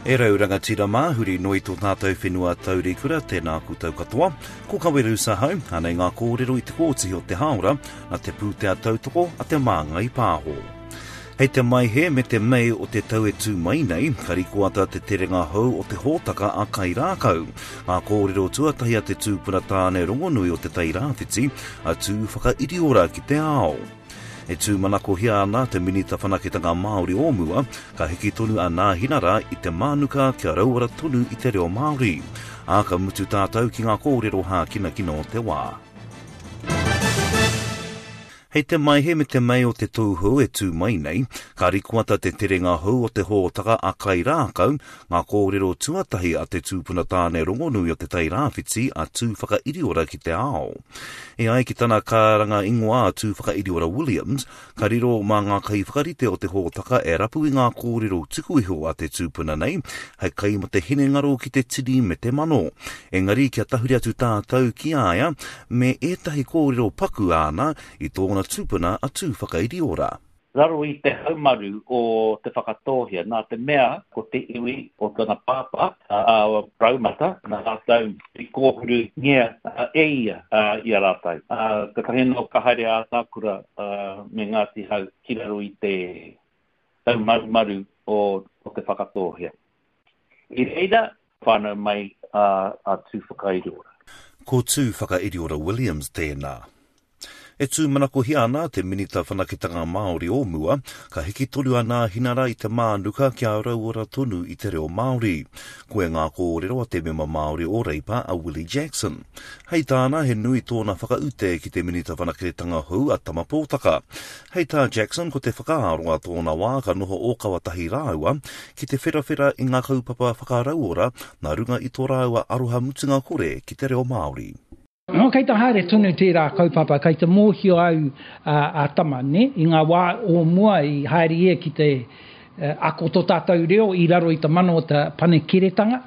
E rau rangatira mā, huri noa i tō tātou whenua taurikura, tēnā koutou katoa. Ko Kawerau Sahau, anei ngā kōrero i te kōtihi o te hāora, nā te pūtea tautoko a Te Māngai Pāho. Hei te Maehe me te Mei o te tau e tū mai nei, ka rikoata te terenga hou o te hōtaka a Kairākau. Ngā kōrero tuatahi a te tūpuna tāne rongonui o Te Tai Rāwhiti, a Tūwhakairiora ki te ao. E tūmanakohia ana te Minita Whanaketanga Māori o mua, ka hiki tonu a Nāhinara i te mānuka kia rauora tonu i te reo Māori. Ā, ka mutu tātou ki ngā kōrero hākinakina o te wā. Hei te Maehe me te Mei o te tou hou e tū mai nei, ka rikoata te terenga hou o te hōtaka a Kairākau, ngā kōrero tuatahi a te tūpuna tāne rongonui o Te Tai Rāwhiti a Tūwhakairiora ki te ao. E ai ki tana karanga ingoa a Tūwhakairiora Williams, ka riro mā ngā kaiwhakarite o te hōtaka e rapu i ngā kōrero tuku iho a te tūpuna nei hei kai mō te hinengaro ki te tini me te mano. Engari kia tahuri atu tātou ki a ia me ētahi kōrero paku āna i tōna tūpuna a Tūwhakairiora. Raro i te haumaru o Te Whakatōhea, nā te mea ko te iwi o tana pāpā, a Raumata, nā rātou i kōhurungia e ia i a rātou. Kātahi anō ka haere a Atākura me Ngāti Hau ki raro i te taumarumaru o Te Whakatōhea. I reira whānau mai a Tūwhakairiora. Ko Tūwhakairiora Williams tēnā. E tūmanakohia ana te Minita Whanaketanga Māori o mua, ka hiki tonu a Nāhinara i te mānuka kia rauora tonu i te reo Māori. Koia ngā kōrero a te mema Māori o Reipa a Willie Jackson. Hei tāna, he nui tōna whakaute ki te Minita Whanaketanga hou a Tama Pōtaka. Hei tā Jackson ko te whakaaro a tōna wā ka noho ōkawa tahi rāua ki te wherawhera i ngā kaupapa whakarauora nā runga i tō rāua aroha mutunga kore ki te reo Māori. Nō, kei te haere tonu tērā kaupapa, kei te mōhio au a Tama, nē, i ngā wā o mua i haere ia ki te ako tō tātou reo i raro i te mana o te Panekiretanga.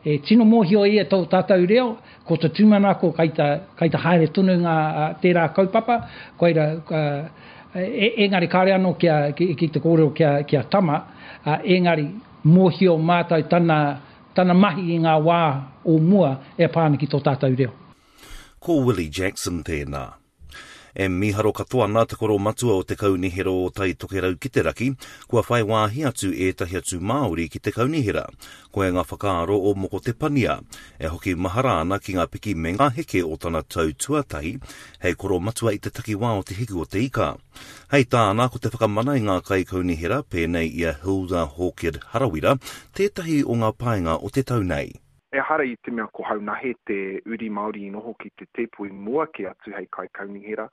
E tino mōhio ia tō tātou reo, ko te tūmanako kei te, kei te haere tonu ngā, tērā kaupapa, koira, engari kāore anō kia, ki te kōrero ki a Tama, engari mōhio mātou tana, Tana mahi i ngā wā o mua e pā ana ki tō tātou reo. Ko Willie Jackson tēnā. E mīharo katoa ana te koromatua o te Kaunihera o Tai Tokerau ki te Raki, kua whai wāhi atu ētahi atu Māori ki te kaunihera. Koia ngā whakaaro o Moko Te Pania, e hoki mahara ana ki ngā piki me ngā heke o tana tau tuatahi hei koromatua i te takiwā o Te Hiku o Te Ika. Hei tāna, ko te whakamana i ngā kaikaunihera pēnei i a Hilda Hawkett Harawira tētahi o ngā painga o te tau nei. Ehara i te mea ko Haunahe te uri Māori i noho ki te tēpu i mua kē atu hei kaikaunihera,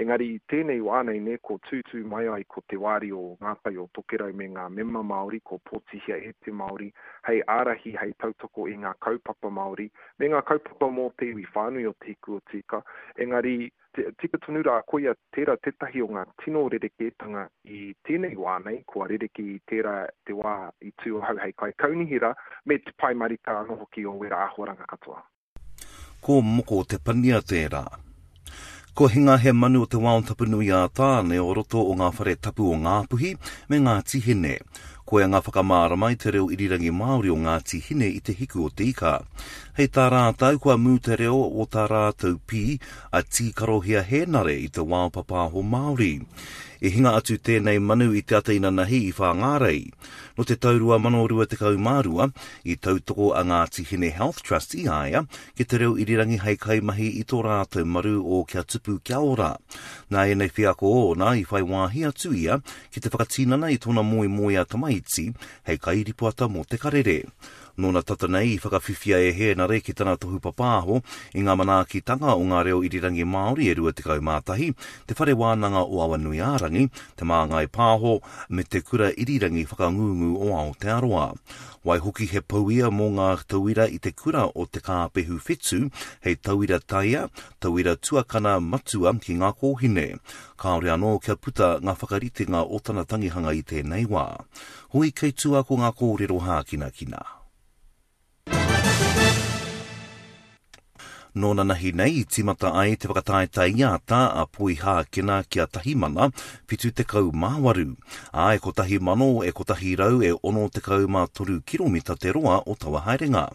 engari i tēnei wā nei nē ko tūtū mai ai ko te wāri o Ngā Tai o Tokerau me ngā mema Māori ko pōtihia e te Māori hei ārahi, hei tautoko i ngā kaupapa Māori me ngā kaupapa mō te iwi whānui o Te Hiku o Tīka, engari Tika tonu rā, koia tērā tētahi o ngā tino rerekētanga i tēnei wā nei, kua rerekē i tērā te wā i tū ahau hei kaikaunihera, me te pai marika anō hoki o wērā āhuaranga katoa. Ko Moko Te Pania tērā. Kua hinga he manu o te wao tapu nui a Tāne o roto o ngā whare tapu o Ngāpuhi me Ngāti Hine. Koia ngā whakamārama i te reo irirangi Māori o Ngāti Hine i Te Hiku o Te Ika. Hei tā rātou, kua mū te reo o tā rātou pī, a Tīkarohia Hēnare i te wao papāho Māori. I hinga atu tēnei manu i te ata inanahi i Whāngārei. Nō te tau 2022, i tautoko a Ngāti Hine Health Trust i a ia ki te reo irirangi hei kaimahi i tō rātou maru o Kia Tupu Kia Ora. Nā ēnei wheako ōna i whai wāhi atu ia ki te whakatinana i tōna moemoeā tamaiti hei kairipoata mō Te Karere. Nōna tata nei i whakawhiwhia e Hēnare ki tana tohu papāho i ngā manaakitanga o ngā reo irirangi Māori e 21, Te Whare Wānanga o Awanuiārangi, Te Māngai Pāho, me Te Kura Irirangi Whakangungu o Aotearoa. Waihoki he pou ia mō ngā tauira i te kura o Te Kāpehu Whetū hei tauira taia, tauira tuakana matua ki ngā kōhine. Kāore anō kia puta ngā whakaritenga o tana tangihanga i tēnei wā. Hoi kei tua ko ngā kōrero hākinakina. Nō nanahi nei i tīmata ai te whakataetae iata a Poihākena ki a Tahimana, 78, ā, e kotahi mano e kotahi rau e 63 kiromita te roa o taua haerenga.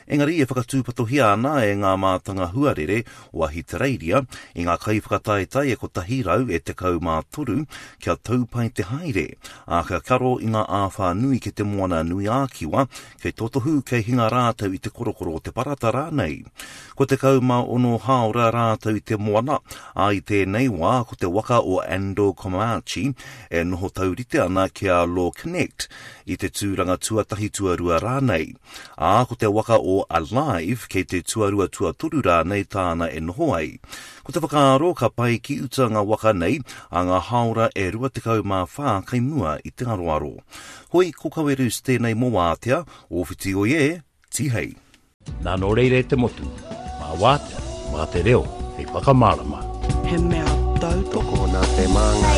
Engari e whakatūpatohia ana e ngā mātanga huarere o Ahitereiria i ngā kaiwhakataetae e kotahi rau e 13 kia tau pai te haere, ā, kia karo i ngā āwhā nui ki Te Moana nui ā-Kiwa Kei totohu, kei hinga rātou i te korokoro o te parata rānei. Kua 16 hāora rātou i te moana, ā, i tēnei wā ko te waka o Ando Komachi e noho taurite ana ki a Law Connect i te tūranga tuatahi tuarua rānei. Ā, ko te waka o Alive kei te tuarua tuatoru rānei tāna e noho ai. Ko te whakaaro ka pae ki uta ngā waka nei ā ngā hāora e 24 kei mua i te aroaro. Hoi, ko Kawerus tēnei mō Wātea, ō whiti oi e, tihei. Nā nō reira e te motu, mā Wātea, mā te reo hei whakamārama. He mea tautoko. Tokona te māngai.